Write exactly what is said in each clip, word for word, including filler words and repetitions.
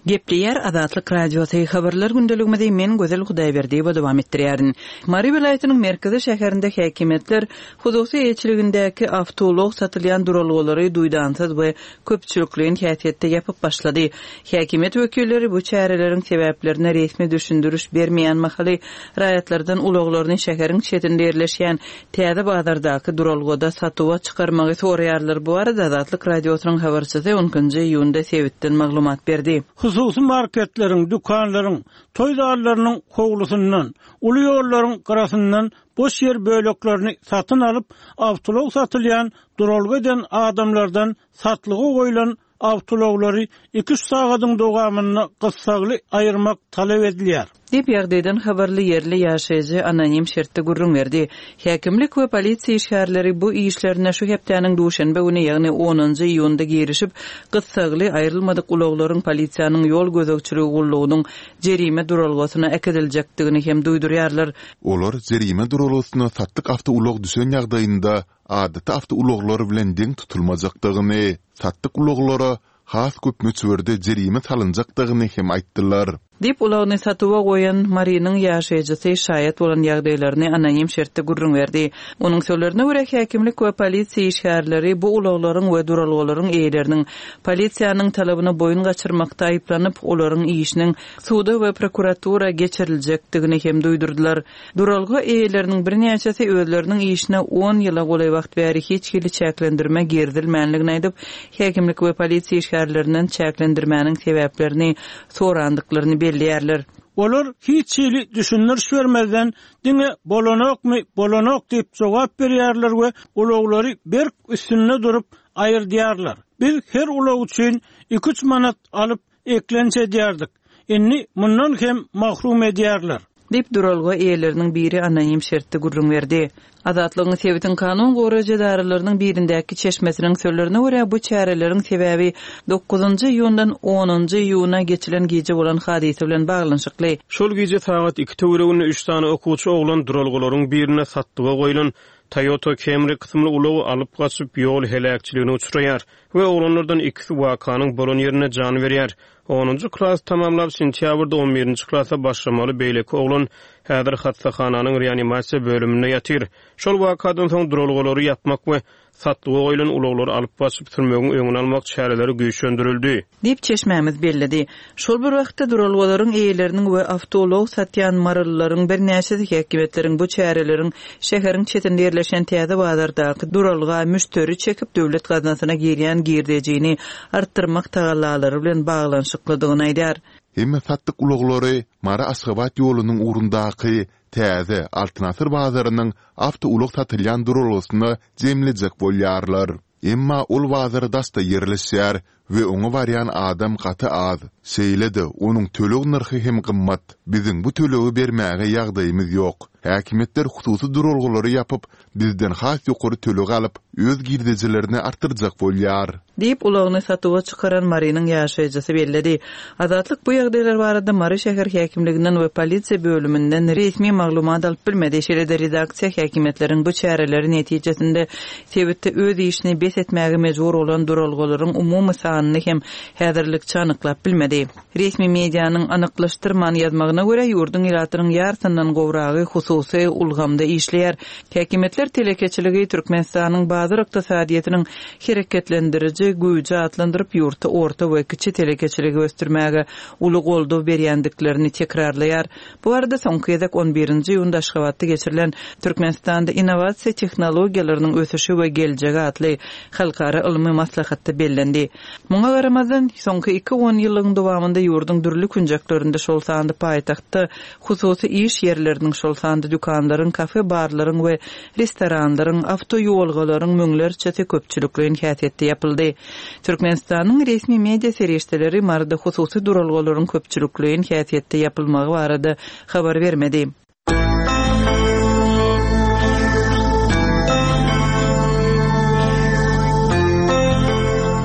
Gepleýär Azatlyk Radiosy habarlar gündeligimizi men Gözel Hudaýberdiýewa dowam etdirýärin. Mary welaýatynyň merkezi şäherinde häkimiýetler hususy eýeçiligindäki awtoulag satylýan duralgalary duýdansyz we köpçülikleýin häsiýetde ýapyp başlady. Häkimiýet wekilleri bu çäreleriň sebäplerine resmi düşündiriş bermeýän mahaly raýatlardan ulaglaryny şäheriň çetinde ýerleşýän täze bazardaky duralgada satuwa çykarmagy soraýarlar. Bu arada Azatlyk Radiosynyň habarçysy on ikinji iýunda sebitden maglumat berdi. Hususy marketleriň, dükanlaryň, toý zallarynyň howlusyndan, uly ýollaryň gyrasyndan boş ýer böleklerini satyn alyp, awtoulag satylýan duralga eden adamlardan satlyga goýlan awtoulaglary iki üç sagadyň dowamynda gyssagly aýyrmak talap edilýär. Diýip ýagdaýdan habarly ýerli ýaşaýjy anonim şertde gürrüň berdi. Häkimlik we polisiýa işgärleri bu işlerine şu hepdäniň duşenbe güni, ýagny onunjy iýunda girişip, gyssagly aýrylmadyk ulaglaryň polisiýanyň ýol gözegçiligi gullugynyň jerime duralgasyna äkidiljekdigini hem duýdurýarlar. Olar jerime duralgasyna satlyk awtoulag düşen ýagdaýynda adaty awtoulaglar bilen deň tutulmajakdygyny, satlyk ulaglara has köp möçberde jerime salynjakdygyny hem aýtdylar. Diýip ulagyny satuwa goýan Marynyň ýaşaýjysy şaýat bolan ýagdaýlaryny anonim şertde gürrüň berdi. Onuň sözlerine görä häkimlik we polisiýa işgärleri bu ulaglaryň we duralgalaryň eýeleriniň polisiýanyň talabyna boýun gaçyrmakda aýyplanyp, olaryň işiniň suda we prokuratura geçiriljekdigini hem duýdurdylar. Duralga eýeleriniň birnäçesi özleriniň işine on ýyla golaý wagt bäri hiç hili çäklendirme girizilmänligini aýdyp, häkimlik we polisiýa işgärlerinden çäklendirmäniň sebäplerini sorandyklaryny belleýärler. Olar hiç hili düşündiriş bermezden diňe bolanokmy, bolanok diýip jogap berýärler we ulaglary berk üstünde durup aýyrdýarlar. Biz her ulag üçin iki üç manat alyp eklenç edýärdik. Indi mundan hem mahrum edýärler. Diýip duralga eýeleriniň biri anonim şertde gürrüň berdi. Azatlygyň sebitiň kanun goraýjy edaralarynyň birindäki çeşmesiniň sözlerine görä bu çäreleriň sebäbi dokuzynjy iýundan onunjy iýuna geçilen gije bolan hadysa bilen baglanyşykly. Şol gije sagat iki töwereginde üç sany okuwçy oglan duralgalaryň birine satlyga goýlan Toyota Camry kysymly ulagy alyp gaçyp ýol heläkçiligine uçraýar we oglanlardan ikisi wakanyň bolan ýerinde jan berýär. Onunjy klas tamamlap sentýabrda on birinji klasa başlamaly beýleki oglan häzir hassahananyň reanimasiýa bölüminde ýatyr. Şol wakadan soň duralgalary ýapmak we satlyga goýlan ulaglary alyp gaçyp sürmegiň öňüni almak çäreleri güýçlendirildi. Diýip çeşmämiz belledi. Şol bir wagtda duralgalaryň eýeleriniň we awtoulag satýan marylylaryň birnäçesi häkimiýetleriň bu çäreleriň şäheriň çetinde ýerleşen täze bazardaky duralga müşderi çekip döwlet gaznasyna girýän girdejini arttyrmak tagallalary bilen baglanyşyklydygyny aýdar. Hemme satlyk ulaglary Mary Aşgabat ýolunyň ugrundaky täze Altyn Asyr bazarynyň awtoulag satylýan duralgasyna jemlejek bolýarlar. Emma ol bazar daşda ýerleşýär we oňa barýan adam gaty az. Şeýle-de onuň töleg nyrhy hem gymmat. Biziň bu tölegi bermäge ýagdaýymyz ýok. Häkimiýetler hususy duralgalary ýapyp, bizden has ýokary töleg alyp, öz girdejilerini artdyrjak bolýar. Diýip ulagyny satuwa çykaran Marynyň ýaşaýjysy belledi. Azatlyk bu ýagdaýlar barada Mary şäher häkimliginden we polisiýa bölüminden resmi maglumat alyp bilmedi. Şeýle-de redaksiýa häkimiýetleriň bu çäreleri netijesinde sebitde öz işini bes etmäge mejbur bolan duralgalaryň umumy sanyny hem häzirlikçe anyklap bilmedi. Resmi medianyň anyklaşdyrman ýazmagyna görä ýurduň ilatynyň ýarysyndan gowragy hususy ulgamda işleýär. Häkimiýetler telekeçiligi Türkmenistanyň bazar ykdysadyýetiniň hereketlendiriji güýji atlandyryp ýurtda orta we kiçi telekeçiligi ösdürmäge uly goldaw berýändiklerini tekrarlaýar. Bu arada soňky gezek on birinji iýunda Aşgabatda geçirilen Türkmenistanda innowasiýa tehnologiýalarynyň ösüşi we geljegi atly halkara ylmy maslahatda bellendi. Muňa garamazdan soňky iki on ýyllygyň dowamynda ýurduň dürli künjeklerinde şol sanda paýtagtda hususy iş ýerleriniň, şol sanda dükanlaryň, kafe barlaryň we restoranlaryň, awtoýolgalaryň müňlerçesi köpçülikleýin häsiýetde ýapyldy. Türkmenistanyň resmi media serişdeleri Maryda hususy duralgalaryň köpçülikleýin häsiýetde ýapylmagy barada habar bermedi.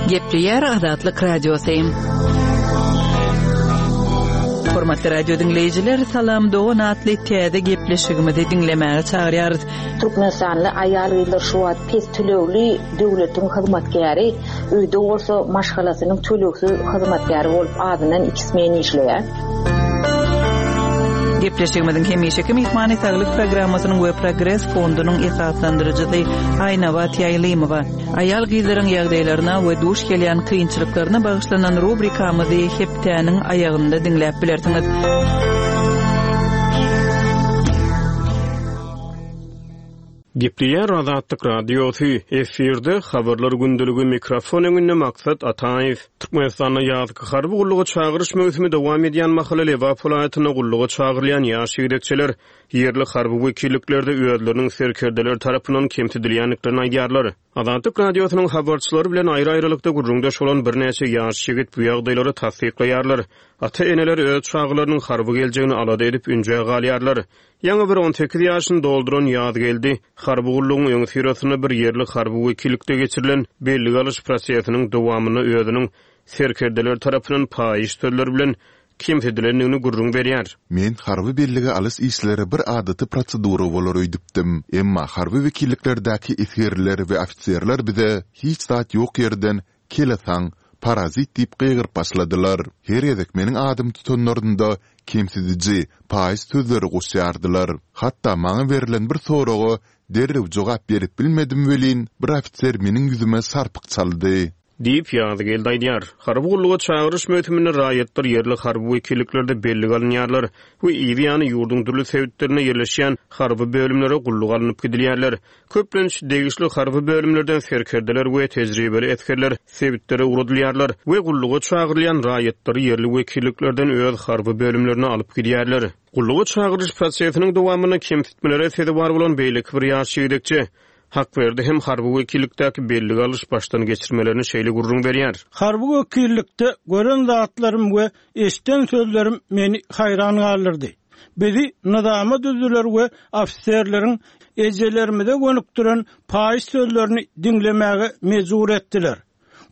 Gepleýär Azatlyk Radiosy. Hormatly radio dinleýjiler, Salam Dogan atly täze gepleşigimizi diňlemäge çagyrýarys. Türkmenistanly aýal gyzlar şu wagt pes tölegli döwletiň hyzmatkäri Öýde bolsa maşgalasynyň tölegsiz hyzmatkäri bolup azyndan iki smen işleýär. Gepleşigimiziň hemişeki myhmany Saglyk programmasynyň we Progres fondunyň esaslandyryjysy Aýnabat Ýaýlymowa. Aýal-gyzlaryň ýagdaýlaryna we duş gelýän kynçylyklaryna bagyşlanan rubrikamyzy hepdäniň aýagynda diňläp bilersiňiz. Gepleýär Azatlyk Radiosy, efirde habarlar gündeligi mikrofon öňünde Maksat Ataýew. Türkmenistanda ýazky harby gulluga çagyryş möwsümi dowam edýän mahaly Lebap welaýatynda gulluga çagyrylýan ýaş ýigdekçeler ýerli harby wekilliklerde özleriniň serkerdeler tarapyndan kemsidilýändiklerini aýdýarlar. Azatlyk Radiosynyň habarçylary bilen aýry-aýrylykda gürrüňdeş bolan birnäçe ýaş ýigit bu ýagdaýlary tassyklaýarlar. Ata-eneler öz çagalarynyň harby geljegini alada edip ünjä galýarlar. Ýaňy bir on sekiz ýaşyny dolduran Ýazgeldi harby gullugyň öňüsyrasynda bir ýerli harby wekillikde geçirilen bellige alyş prosesiniň dowamynda özüniň serkerdeler tarapyndan paýyş sözler bilen kemsidilendigini gürrüň berýär. Men harby bellige alyş işleri bir adaty prosedura bolar öýdüpdim. Emma harby wekilliklerdäki esgerler we ofiserler bize hiç zat ýok ýerden kelesaň, parazit diýip gygyryp başladylar. Her gezek meniň adymy tutanlarynda kemsidiji, paýyş sözleri goşýardylar. Hatda maňa berlen bir soraga derrew jogap berip bilmedim welin, bir ofiser meniň ýüzüme şarpyk çaldy. Diýip Ýazgeldi aýdýar. Harby gulluga çagyryş möwsüminde raýatlar ýerli harby wekilliklerde bellige alynýarlar we yzy ýany ýurduň dürli sebitlerinde ýerleşýän harby bölümlere gulluga alnyp gidilýärler. Köplenç degişli harby bölümlerden serkerdeler we tejribeli esgerler sebitlere ugradylýarlar we gulluga çagyrylýan raýatlary ýerli wekilliklerden öz harby bölümlerine alyp gidýärler. Gulluga çagyryş prosesiniň dowamynda kemsitmelere sezewar bolan beýleki bir ýaş ýigdekçe Hakberdi hem harby wekillikdäki bellige alyş başdan geçirmelerini şeýle gürrüň berýär. Harby wekillikde gören zatlarym we eşden sözlerim meni haýran galdyrdy. Bizi nyzama düzdüler we ofiserleriň ejelerimize gönükdiren paýyş sözlerini diňlemäge mejbur etdiler.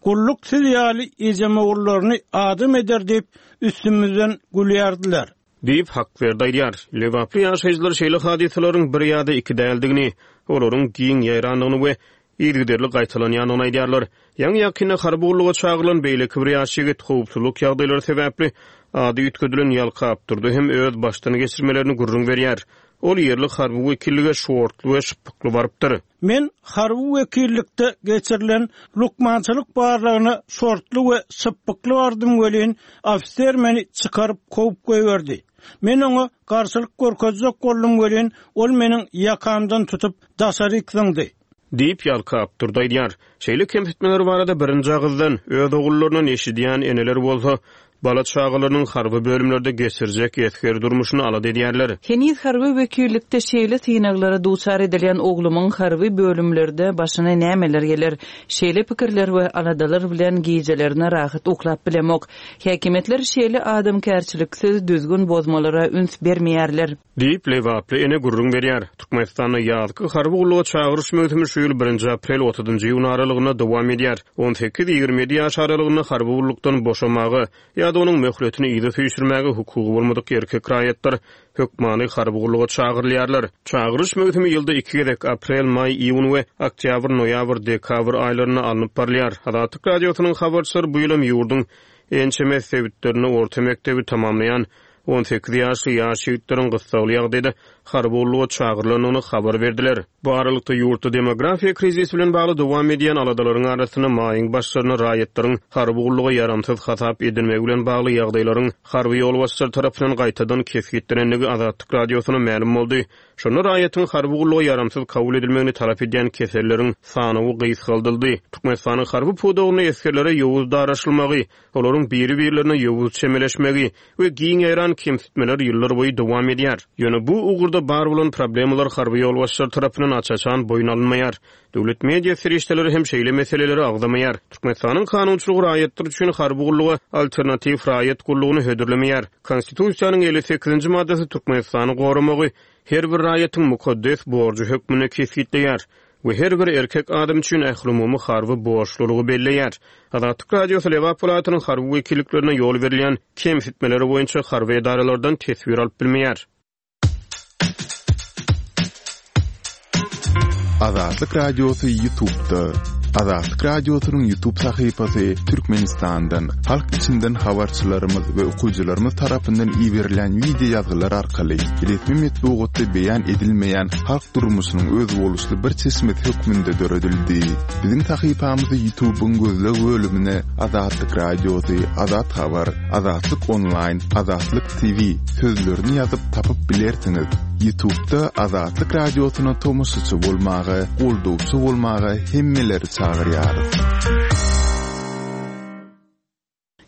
Gulluk siz ýaly ejem ogullaryny adam eder diýip üstümizden gülýärdiler. Diýip Hakberdi aýdýar. Lebaply ýaşaýjylar şeýle hadysalaryň bir ýa-da iki däldigini, olaryň giň ýaýrandygyny we yzygiderli gaýtalanýandygyny aýdýarlar. Ýaňy ýakynda harby gulluga çagyrylan beýleki bir ýaş ýigit howpsuzlyk ýagdaýlary sebäpli ady üýtgedilen Ýalkapdurdy hem öz başdan geçirmelerini gürrüň berýär. Ol ýerli harby wekillige şortly we şypbykly barypdyr. Men harby wekillikde geçirilen lukmançylyk barlagyna şortly we şypbykly bardym welin, ofiser meni çykaryp kowup goýberdi. Men oňa garşylyk görkezjek boldum welin, ol meniň ýakamdan tutup daşaryk zyňdy. Diýip Ýalkapdurdy aýdýar. Şeýle kemsitmeler barada birinji agyzdan öz ogullaryndan eşidýän eneler bolsa, bala çagalarynyň harby bölümlerde geçirjek esger durmuşyny alada edýärler. Heniz harby wekillikde şeýle synaglara duçar edilýän oglumyň harby bölümlerde başyna nämeler geler? Şeýle pikirler we aladalar bilen gijelerine rahat uklap bilemok. Häkimiýetler şeýle adamkärçiliksiz düzgün bozmalara üns bermeýärler. Diýip Lebaply ene gürrüň berýär. Türkmenistanda ýazky harby gulluga çagyryş möwsümi şu ýyl birinji aprel otuzynjy iýun aralygynda dowam edýär. On sekiz ýigrimi ýedi ýaş aralygynda harby gullukdan boşamaga ýa-da onuň möhletini yza süýşürmäge hukugy bolmadyk erkek raýatlar hökmany harby gulluga çagyrylýarlar. Çagyryş möwsümi ýylda iki gezek aprel, maý, iýun we oktýabr, noýabr, dekabr aýlarynda alnyp barylýar. Azatlyk Radiosynyň habarçylary bu ýylam ýurduň ençeme sebitlerinde orta mekdebi tamamlaýan on sekiz ýaşly ýaş ýigitleriň gyssagly ýagdaýda harby gulluga çagyrylandygyny habar berdiler. Bu aralykda ýurtda demografiýa krizisi bilen bagly dowam edýän aladalaryň arasynda maýyň başlarynda raýatlaryň harby gulluga ýaramsyz hasap edilmegi bilen bagly ýagdaýlaryň harby ýolbaşçylar tarapyndan gaýtadan kesgitlenendigi Azatlyk Radiosyna mälim boldy. Şonda raýatyň harby gulluga ýaramsyz kabul edilmegini talap edýän keselleriň sanawy gysgaldyldy. Türkmenistanyň harby pudagynda esgerlere ýowuz daraşylmagy, olaryň biri-birlerine ýowuz çemeleşmegi we giň ýaýran kemsitmeler ýyllar boýy dowam edýär. Ýöne bu ugurda bar bolan problemalar harby ýolbaşçylar tarapyndan aç-açan boýun alynmaýar. Döwlet media serişdeleri hem şeýle meseleleri agzamaýar. Türkmenistanyň kanunçylygy raýatlar üçin harby gulluga alternatiw raýat gullugyny hödürlemeýär. Konstitusiýanyň elli sekizinji maddasy Türkmenistany goramagy her bir raýatyň mukaddes borjy hökmünde kesgitleýär we her bir erkek adam üçin ählumumy harby borçlulygy belleýär. Azatlyk Radiosy Lebap welaýatynyň harby wekilliklerine ýol berilýän kemsitmeleri boýunça harby edaralardan teswir alyp bilmeýär. Azatlyk Radiosy YouTube'da. Azatlyk Radiosynyň YouTube sahypasy Türkmenistandan, halk içinden habarçylarymyz we okyjylarymyz tarapyndan iberilen wideo ýazgylar arkaly resmi metbugatda beýan edilmeýän halk durmuşynyň özboluşly bir çeşmesi hökmünde döredildi. Biziň sahypamyzy YouTube'yň gözleg bölümine Azatlyk Radiosy, Azat Habar, Azatlyk Online, Azatlyk T V sözlerini ýazyp tapyp bilersiňiz. YouTube'da Azatlyk Radiosyna tomaşaçy bolmaga, goldawçy bolmaga hemmeleri çagyrýarys.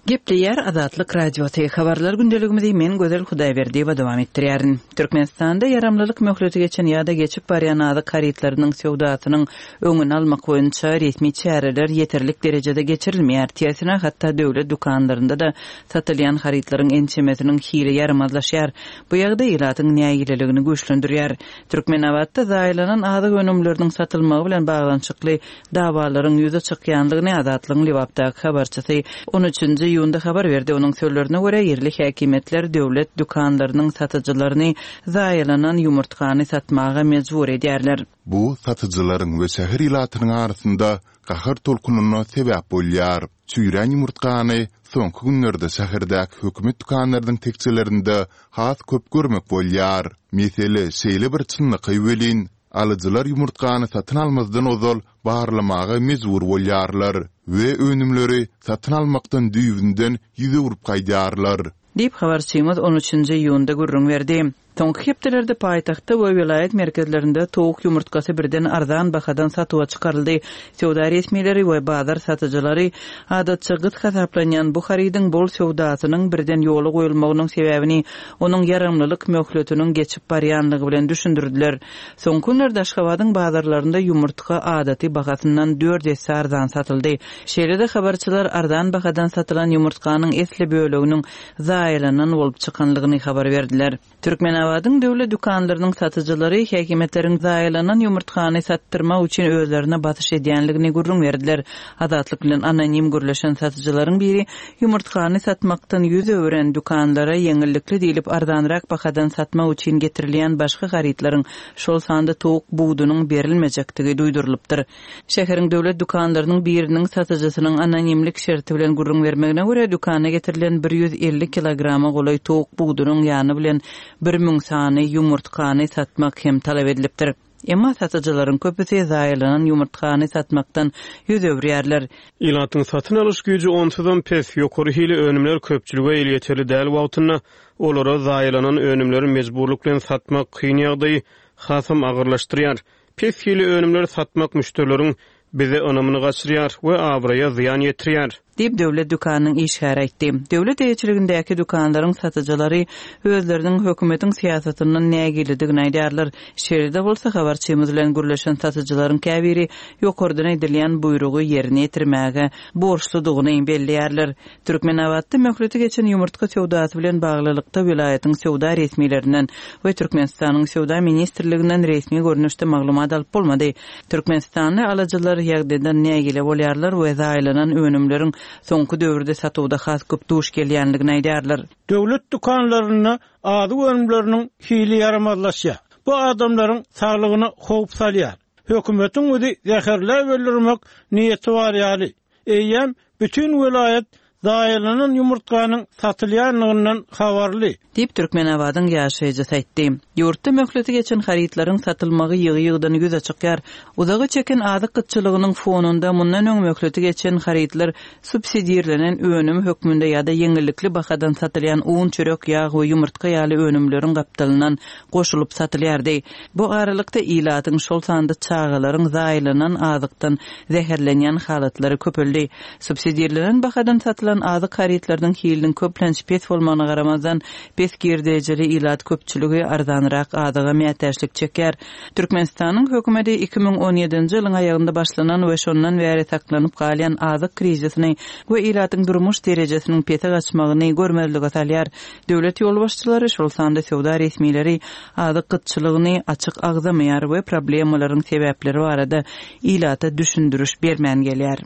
Gepleýär Azatlyk Radiosy. Habarlar gündeligimizi men Gözel Hudaýberdiýewa dowam etdirýärin. Türkmenistanda ýaramlylyk möhleti geçen ýa-da geçip barýan azyk harytlarynyň söwdasynyň öňüni almak boýunça resmi çäreler ýeterlik derejede geçirilmeýär. Tersine hatda döwlet dükanlarynda da satylýan harytlaryň ençemesiniň hili ýaramazlaşýar. Bu ýagdaý ilatyň nägileligini güýçlendirýär. Türkmenabatda zaýalanan azyk önümleriniň satylmagy bilen baglanyşykly dawalaryň ýüze çykýanlygyny Azatlygyň Lebapdaky habarçysy on üçünji iýunda habar berdi. Onuň sözlerine görä ýerli häkimiýetler döwlet dükanlarynyň satyjylaryny zaýalanan ýumurtgany satmaga mejbur edýärler. Bu satyjylaryň we şäher ilatynyň arasynda gahar tolkunyna sebäp bolýar. Çüýrän ýumurtgany soňky günlerde şäherdäki hökümet dükanlarynyň tekjelerinde has köp görmek bolýar. Mesele şeýle bir çynlakaý welin, alyjylar ýumurtgany satyn almazdan ozal barlamaga mejbur bolýarlar we önümleri satyn almakdan düýbünden ýüz öwrüp gaýdýarlar. Diýip habarçymyz on üçünji iýunda gürrüň berdi. Soňky hepdelerde paýtagtda we welaýat merkezlerinde towuk ýumurtgasy birden arzan bahadan satuwa çykaryldy. Söwda resmileri we bazar satyjylary adatça gyt hasaplanýan bu harydyň bol söwdasynyň birden ýola goýulmagynyň sebäbini onuň ýaramlylyk möhletiniň geçip barýanlygy bilen düşündirdiler. Soňky günlerde Aşgabadyň bazarlarynda ýumurtga adaty bahasyndan dört esse arzan satyldy. Şeýle-de habarçylar arzan bahadan satylan ýumurtganyň esli böleginiň zaýalanan bolup çykanlygyny habar berdiler. Türkmenabadyň döwlet dükanlarynyň satyjylary häkimiýetleriň zaýalanan ýumurtgany satdyrmak üçin özlerine basyş edýänligini gürrüň berdiler. Azatlyk bilen anonim gürleşen satyjylaryň biri ýumurtgany satmakdan ýüz öwüren dükanlara ýeňillikli diýlip arzanrak bahadan satmak üçin getirilýän başga harytlaryň şol sanda towuk budunyň berilmejekdigi duýdurylypdyr. Şäheriň döwlet dükanlarynyň biriniň satyjysynyň anonimlik şerti bilen gürrüň bermegine görä dükana getirilen bir ýüz elli kilograma golaý towuk budunyň ýany bilen bir müň sany ýumurtgany satmak hem talap edilipdir. Emma satyjylaryň köpüsi zaýalanan ýumurtgany satmakdan ýüz öwürýärler. Ilatyň satyn alyş güýji onsuzam pes, ýokary hili önümler köpçülige elýeterli däl wagtynda olara zaýalanan önümleri mejburlyk bilen satmak kyn ýagdaýy hasam agyrlaşdyrýar. Pes hili önümleri satmak müşderileriň bize ynamyny gaçyrýar we abraýa zyýan ýetirýär. Diýip döwlet dükanynyň işgäri aýtdy. Döwlet eýeçiligindäki dükanlaryň satyjylary özleriniň hökümetiň syýasatyndan nägiledigini aýdýarlar. Şeýle-de bolsa habarçymyz bilen gürleşen satyjylaryň käbiri ýokardan edilýän buýrugy ýerine ýetirmäge borçludygyny belleýärler. Türkmenabatda möhleti geçen ýumurtga söwdasy bilen baglylykda welaýatyň söwda resmilerinden we Türkmenistanyň söwda ministrliginden resmi görnüşde maglumat alyp bolmady. Türkmenistanly alyjylar ýagdaýdan nägile bolýarlar we zaýalanan önümleriň soňky döwürde satuwda has köp duş gelýänligini aýdýarlar. Döwlet dükanlarynda azyk önümleriniň hili ýaramazlaşýar. Bu adamlaryň saglygyna howp salýar. Hökümetiň özi zäherläp öldürmek niýeti bar ýaly. Eýýäm bütün welaýat zaýalanan ýumurtganyň satylýanlygyndan habarly. Diýip Türkmenabadyň ýaşaýjysy aýtdy. Ýurtda möhleti geçen harytlaryň satylmagy ýygy-ýygydan ýüze çykýar. Uzaga çeken azyk gytçylygynyň fonunda mundan öň möhleti geçen harytlar subsidirlenen önüm hökmünde ýa-da ýeňillikli bahadan satylýan un, çörek, ýag we ýumurtga ýaly önümleriň gapdalyndan goşulyp satylýardy. Bu aralykda ilatyň şol sanda çagalaryň zaýalanan azykdan zäherlenýän halatlary köpeldi. Subsidirlenen bahadan satylan azyk harytlarynyň hiliniň köplenç pes bolmagyna garamazdan pes girdejeli ilat köpçüligi arzanrak azyga mätäçlik çekýär. Türkmenistanyň hökümeti iki müň on ýedinji ýylyň aýagynda başlanan we şondan bäri saklanyp galýan azyk krizisini we ilatyň durmuş derejesiniň pese gaçmagyny görmezlige salýar. Döwlet ýolbaşçylary şol sanda söwda resmileri azyk gytçylygyny açyk agzamaýar we problemalaryň sebäpleri barada ilata düşündiriş bermän gelýär.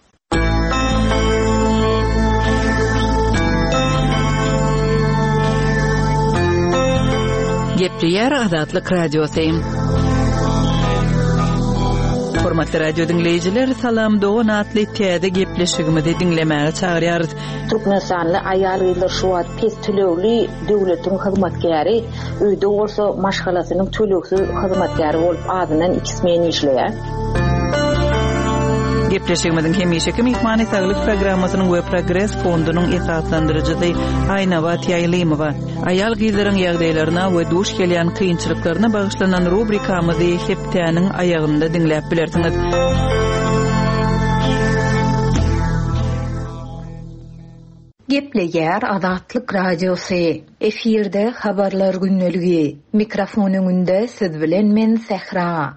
Gepleýär Azatlyk Radiosy. Hormatly radio diňleýjiler, Salam Dogan atly täze gepleşigimizi diňlemäge çagyrýarys. Türkmenistanly aýal-gyzlar şu wagt pes tölegli döwletiň hyzmatkäri, öýde bolsa maşgalasynyň tölegsiz hyzmatkäri bolup azyndan iki smen işleýär. Gepleşigimiziň hemişeki myhmany saglyk programmasynyň we Progres fondunyň esaslandyryjysy Aýnabat Ýaýlymowa. Aýal gyzlaryň ýagdaýlaryna we duş gelýän kynçylyklaryna bagyşlanan rubrikamyzy hepdäniň aýagynda diňläp bilersiňiz. Gepleýär Azatlyk Radiosy. Efirde habarlar gündeligi. Mikrofon öňünde siz bilen men Sähra.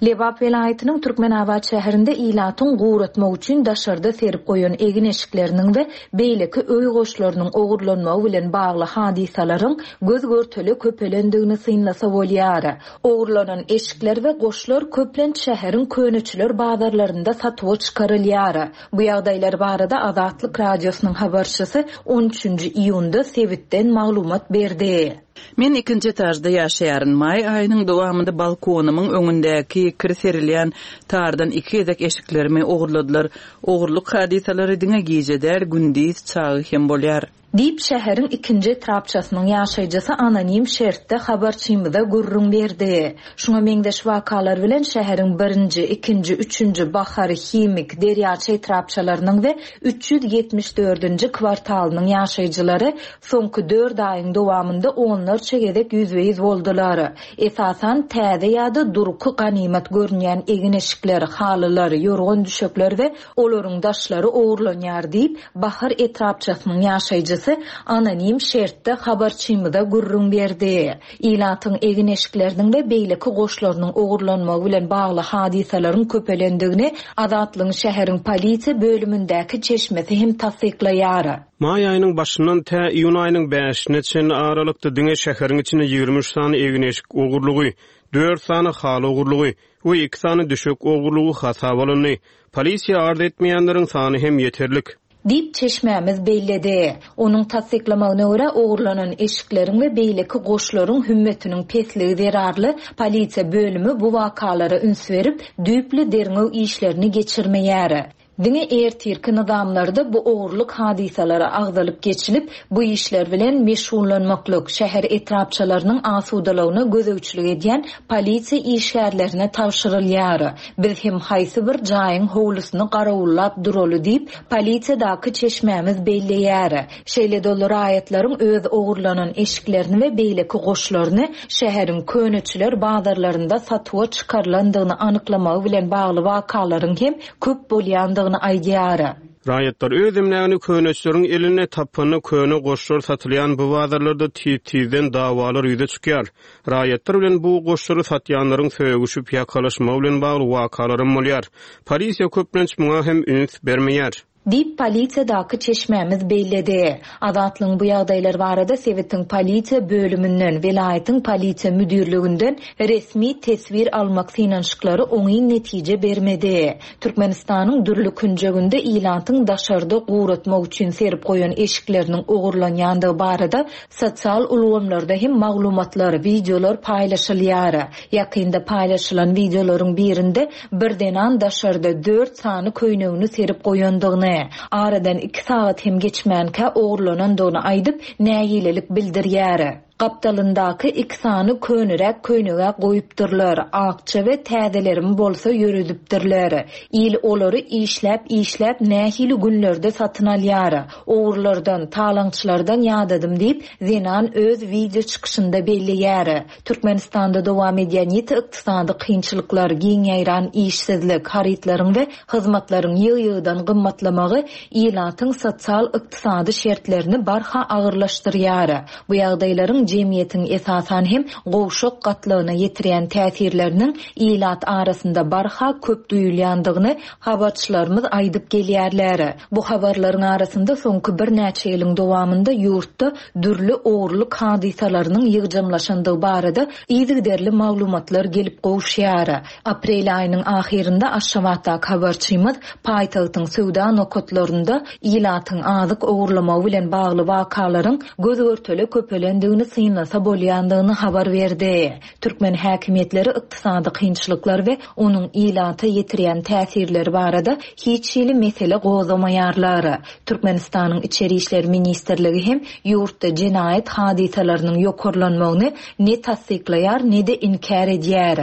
Lebap welaýatynyň Türkmenabat şäherinde ilatyň guratmak üçin daşarda serip goýan egin eşikleriniň we beýleki öý goşlarynyň ogurlanmagy bilen bagly hadysalaryň göz görtele köpelendigini synlasa bolýar. Ogurlanan eşikler we goşlar köplenç şäheriň köneçiler bazarlarynda satuwa çykarylýar. Bu ýagdaýlar barada Azatlyk Radiosynyň habarçysy on üçünji iýunda sebitden maglumat berdi. Men ikinji etajda ýaşaýaryn. Maý aýynyň dowamynda balkonymyň öňündäki kir serilýän tardan iki gezek eşiklerimi ogurladylar. Ogurlyk hadysalary diňe gije däl, gündiz çagy hem bolýar. Diýip şäheriň ikinji etrapçasynyň ýaşaýjysy anonim şertde habarçymyza gürrüň berdi. Şuňa meňzeş wakalar bilen şäheriň birinji, ikinji, üçünji Bahar, Himik, Derýaçy etrapçalarynyň we üç ýüz ýetmiş dördünji kwartalynyň ýaşaýjylary soňky dört aýyň dowamynda onlarça gezek ýüzbe-ýüz boldular. Esasan täze ýa-da durky ganymat görünýän egin eşikler, halylar, ýorgan düşekler we olaryň daşlary ogurlanýar diýip Bahar etrapçasynyň ýaşaýjysy anonim şertde habarçymyza gürrüň berdi. Ilatyň egin eşikleriniň we beýleki goşlarynyň ogurlanmagy bilen bagly hadysalaryň köpelendigini Azatlygyň şäheriň polisiýa bölümündäki çeşmesi hem tassyklaýar. Maý aýynyň başyndan tä iýun aýynyň bäşine çenli aralykda diňe şäheriň içinde ýigrimi üç sany egin eşik ogurlygy, dört sany haly ogurlygy we iki sany düşek ogurlygy hasaba alyndy. Polisiýa arz etmeýänleriň sany hem ýeterlik. Diýip çeşmämiz belledi. Onuň tassyklamagyna görä ogurlanan eşikleriň we beýleki goşlaryň hümmetiniň pesligi zerarly polisiýa bölümi bu wakalara üns berip, düýpli derňew işlerini geçirmeýär. Diňe ertirki nizamlarda bu ogurlyk hadysalary agzalyp geçilip, bu işler bilen meşgullanmaklyk şäher etrapçalarynyň asudalygyna gözegçilik edýän polisiýa işgärlerine tabşyrylýar. Biz hem haýsy bir jaýyň howlusyny garawullap duraly diýip, polisiýadaky çeşmämiz belleýär. Şeýle dolu raýatlaryň öz ogurlanan eşiklerini we beýleki goşlaryny şäheriň köneçiler bazarlarynda satuwa çykarylandygyny anyklamagy bilen bagly wakalaryň hem köp bolýandygyny aýdýar. Raýatlar öz emlägini köneçileriň eline tapany köne goşlar satylýan bu bazarlarda tiz-tizden dawalar ýüze çykýar. Raýatlar bilen bu goşlary satýanlaryň sögüşip ýakalaşmagy bilen bagly wakalar hem bolýar. Polisiýa köplenç muňa hem üns bermeýär. Diýip polisiýadaky çeşmämiz belledi. Azatlygyň bu ýagdaýlar barada sebitiň polisiýa bölüminden, welaýatyň polisiýa müdirliginden resmi teswir almak synanyşyklary oňyn netije bermedi. Türkmenistanyň dürli künjeginde ilatyň daşarda guratmak üçin serip goýan eşikleriniň ogurlanýandygy barada sosial ulgamlarda hem maglumatlar, wideolar paýlaşylýar. Ýakynda paýlaşylan wideolaryň birinde bir zenan daşarda dört sany köýnegini serip goýandygyny, aradan iki sagat hem geçmänkä ogurlanandygyny aýdyp, nägilelik bildirýär. Gapdalyndaky iki sany köneräk köýnege goýupdyrlar, akça we täzelerim bolsa ýöredipdirler. Il olary işläp işläp nähili günlerde satyn alýar. Ogurlardan, talaňçylardan ýadadym diýip, zenan öz wideo çykyşynda belleýär. Türkmenistanda dowam edýän ýiti ykdysady kynçylyklar, giň ýaýran işsizlik, harytlaryň we hyzmatlaryň ýygy-ýygydan gymmatlamagy ilatyň sosial ykdysady şertlerini barha agyrlaşdyrýar. Bu ýagdaýlaryň jemgyýetiň esasan hem gowşak gatlagyna ýetirýän täsirleriniň ilat arasynda barha köp duýulýandygyny habarçylarymyz aýdyp gelýärler. Bu habarlaryň arasynda soňky birnäçe ýylyň dowamynda ýurtda dürli ogurlyk hadysalarynyň ýygjamlaşandygy barada yzygiderli maglumatlar gelip gowuşýar. Aprel aýynyň ahyrynda Aşgabatdaky habarçymyz paýtagtyň söwda nokatlarynda ilatyň azyk ogurlamagy bilen bagly wakalaryň göz görtele köpelendigini synlasa bolýandygyny habar berdi. Türkmen häkimiýetleri ykdysady kynçylyklar we onuň ilata ýetirýän täsirleri barada hiç hili mesele gozgamaýarlar. Türkmenistanyň Içeri işler ministrligi hem ýurtda jenaýat hadysalarynyň ýokarlanmagyny ne tassyklaýar, ne-de inkär edýär.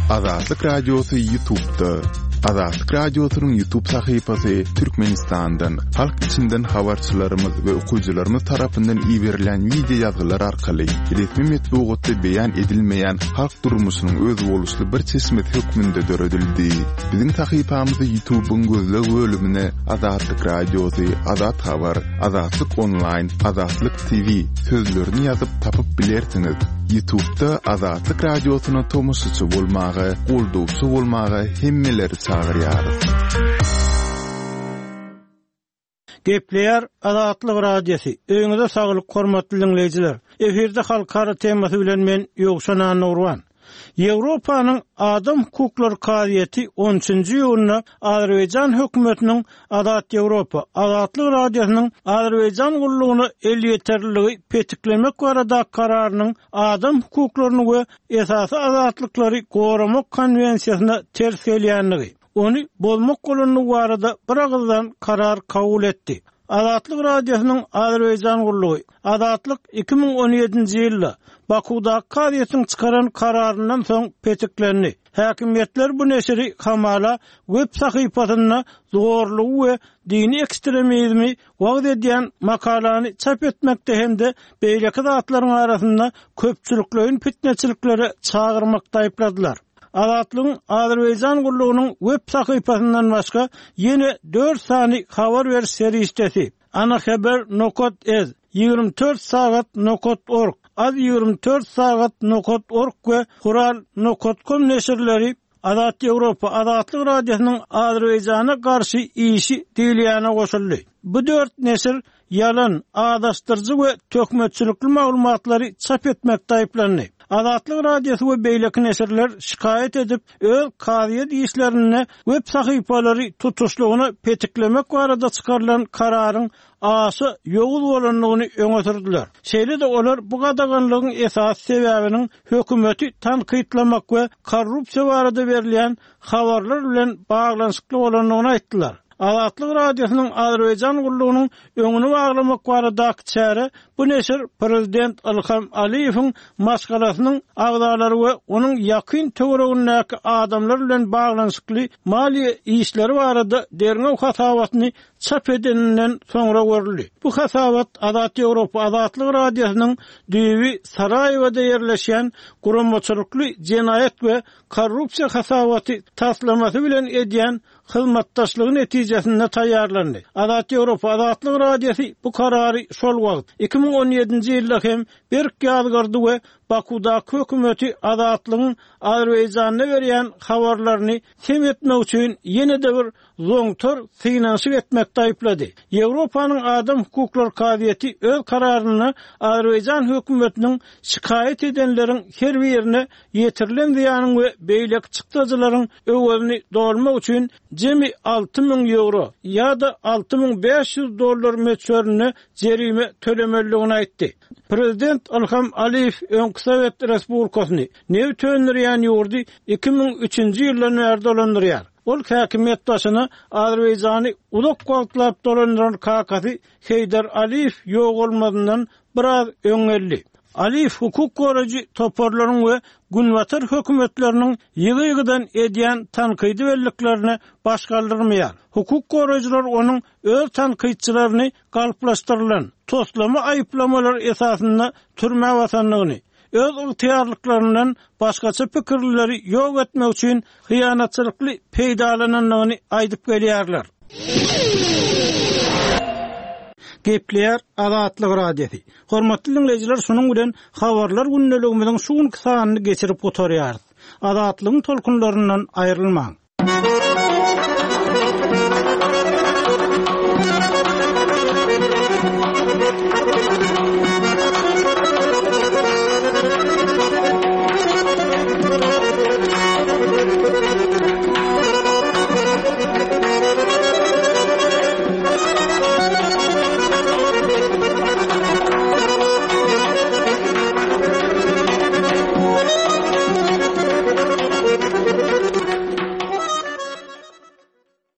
Azatlyk Radiosy YouTube'da. Azatlyk Radiosynyň YouTube sahypasy Türkmenistandan, halk içinden habarçylarymyz we okyjylarymyz tarapyndan iberilen wideo ýazgylar arkaly resmi metbugatda beýan edilmeýän halk durmuşynyň özboluşly bir çeşmesi hökmünde döredildi. Biziň sahypamyzy YouTube'yň gözleg bölümine Azatlyk Radiosy, Azat Habar, Azatlyk Online, Azatlyk T V sözlerini ýazyp tapyp bilersiňiz. YouTube'da Azatlyk Radiosyna tomaşaçy bolmaga, goldawçy bolmaga hemmeleri çagyrýarys. Gepleýär Azatlyk Radiosy. Öýüňize saglyk hormatly dinleýjiler. Efirde halkara temasy bilen men Ýowşan Annagurban. Ýewropanyň Adam hukuklary kazyýeti on üçünji iýunda Azerbaýjan hökümetiniň Azat Ýewropa, Azatlyk Radiosynyň Azerbaýjan gullugyna elýeterliligi petiklemek barada kararynyň adam hukuklaryny we esasy azatlyklary goramak konwensiýasyna ters gelýänligi, ony bozmak bolanlygy barada bir agyzdan karar kabul etdi. Azatlyk Radiosynyň Azerbaýjan gullugy Azatlyk iki müň on ýedinji ýylda Bakuwdaky kazyýetiň çykaran kararyndan soň petiklendi. Häkimiýetler bu neşiri hamala web sahypasynda zorlugy we dini ekstremizmi wagyz edýän makalany çap etmekde hem-de beýleki zatlaryň arasynda köpçülikleýin fitneçiliklere çagyrmakda aýypladylar. Azatlygyň Azerbaýjan gullugynyň web sahypasyndan başga ýene dört sany habar beriş serişdesi Anahaber nokat ez, ýigrimi dört sagat nokat org, az ýigrimi dört sagat nokat org we Hural nokat com neşirleri Azat Ýewropa Azatlyk Radiosynyň Azerbaýjana garşy işi diýilýäne goşuldy. Bu dört neşir ýalan, adaşdyryjy we töhmetçilikli maglumatlary çap etmekde aýyplandy. Azatlyk Radiosy we beýleki neşirler şikaýat edip, öz kazyýet işlerinde web sahypalary tutuşlygyna petiklemek barada çykarylan kararyň aşa ýowuz bolandygyny öňe sürdüler. Şeýle-de olar bu gadaganlygyň esasy sebäbiniň hökümeti tankytlamak we korrupsiýa barada berilýän habarlar bilen baglanyşykly bolandygyny aýtdylar. Azatlyk Radiosynyň Azerbaýjan gullugynyň öňüni baglamak baradaky çäre bu neşir Prezident Ilham Aliýewiň maşgalasynyň agzalary we onuň ýakyn töweregindäki adamlar bilen baglanyşykly maliýe işleri barada derňew hasabatyny çap edeninden soňra görüldi. Bu hasabat Azat Ýewropa Azatlyk Radiosynyň düýbi Saraýewada ýerleşýän guramaçylykly jenaýat we korrupsiýa hasabaty taslamasy bilen edýän hyzmatdaşlygy netijesinde taýýarlandy. Azat Ýewropa Azatlyk Radiosy bu karary şol wagt iki müň on ýedinji ýylda hem berk ýazgardy we Bakuwdaky hökümeti Azatlygyň Azerbaýjanda berýän habarlaryny sem etmek üçin ýene-de bir zoňtar synanyşyk etmekde aýyplady. Ýewropanyň Adam hukuklary kazyýeti öz kararynda Azerbaýjan hökümetiniň şikaýat edenleriň her birine ýetirilen zyýanyň we beýleki çykdajylaryň öwezini dolmak üçin jemi alty müň ýewro ýa-da alty müň bäş ýüz dollar möçberinde jerime tölemelidigini aýtdy. Prezident Ilham Aliýew öňki Sowet Respublikasyny nebit öndürýän ýurdy iki müň üçünji ýyldan bäri dolandyrýar. Ol häkimiýet başyna Azerbaýjany uzak wagtlap dolandyran kakasy Heýdar Aliýew ýogalmazyndan biraz öň geldi. Aliýew hukuk goraýjy toparlaryň we günbatar hökümetleriniň ýygy-ýygydan edýän tankydy belliklerine baş galdyrmaýar. Hukuk goraýjylar onuň öz tankytçylaryny galplaşdyrylan toslama aýyplamalar esasynda türmä basandygyny, öz ygtyýarlyklaryndan başgaça pikirleri ýok etmek üçin hyýanatçylykly peýdalanandygyny aýdyp gelýärler. Gepleýär Azatlyk Radiosy. Hormatly dinleýjiler, şunuň bilen habarlar gündeligimiziň şu günki sanyny geçirip gutarýarys. Azatlygyň tolkunlaryndan aýrylmaň.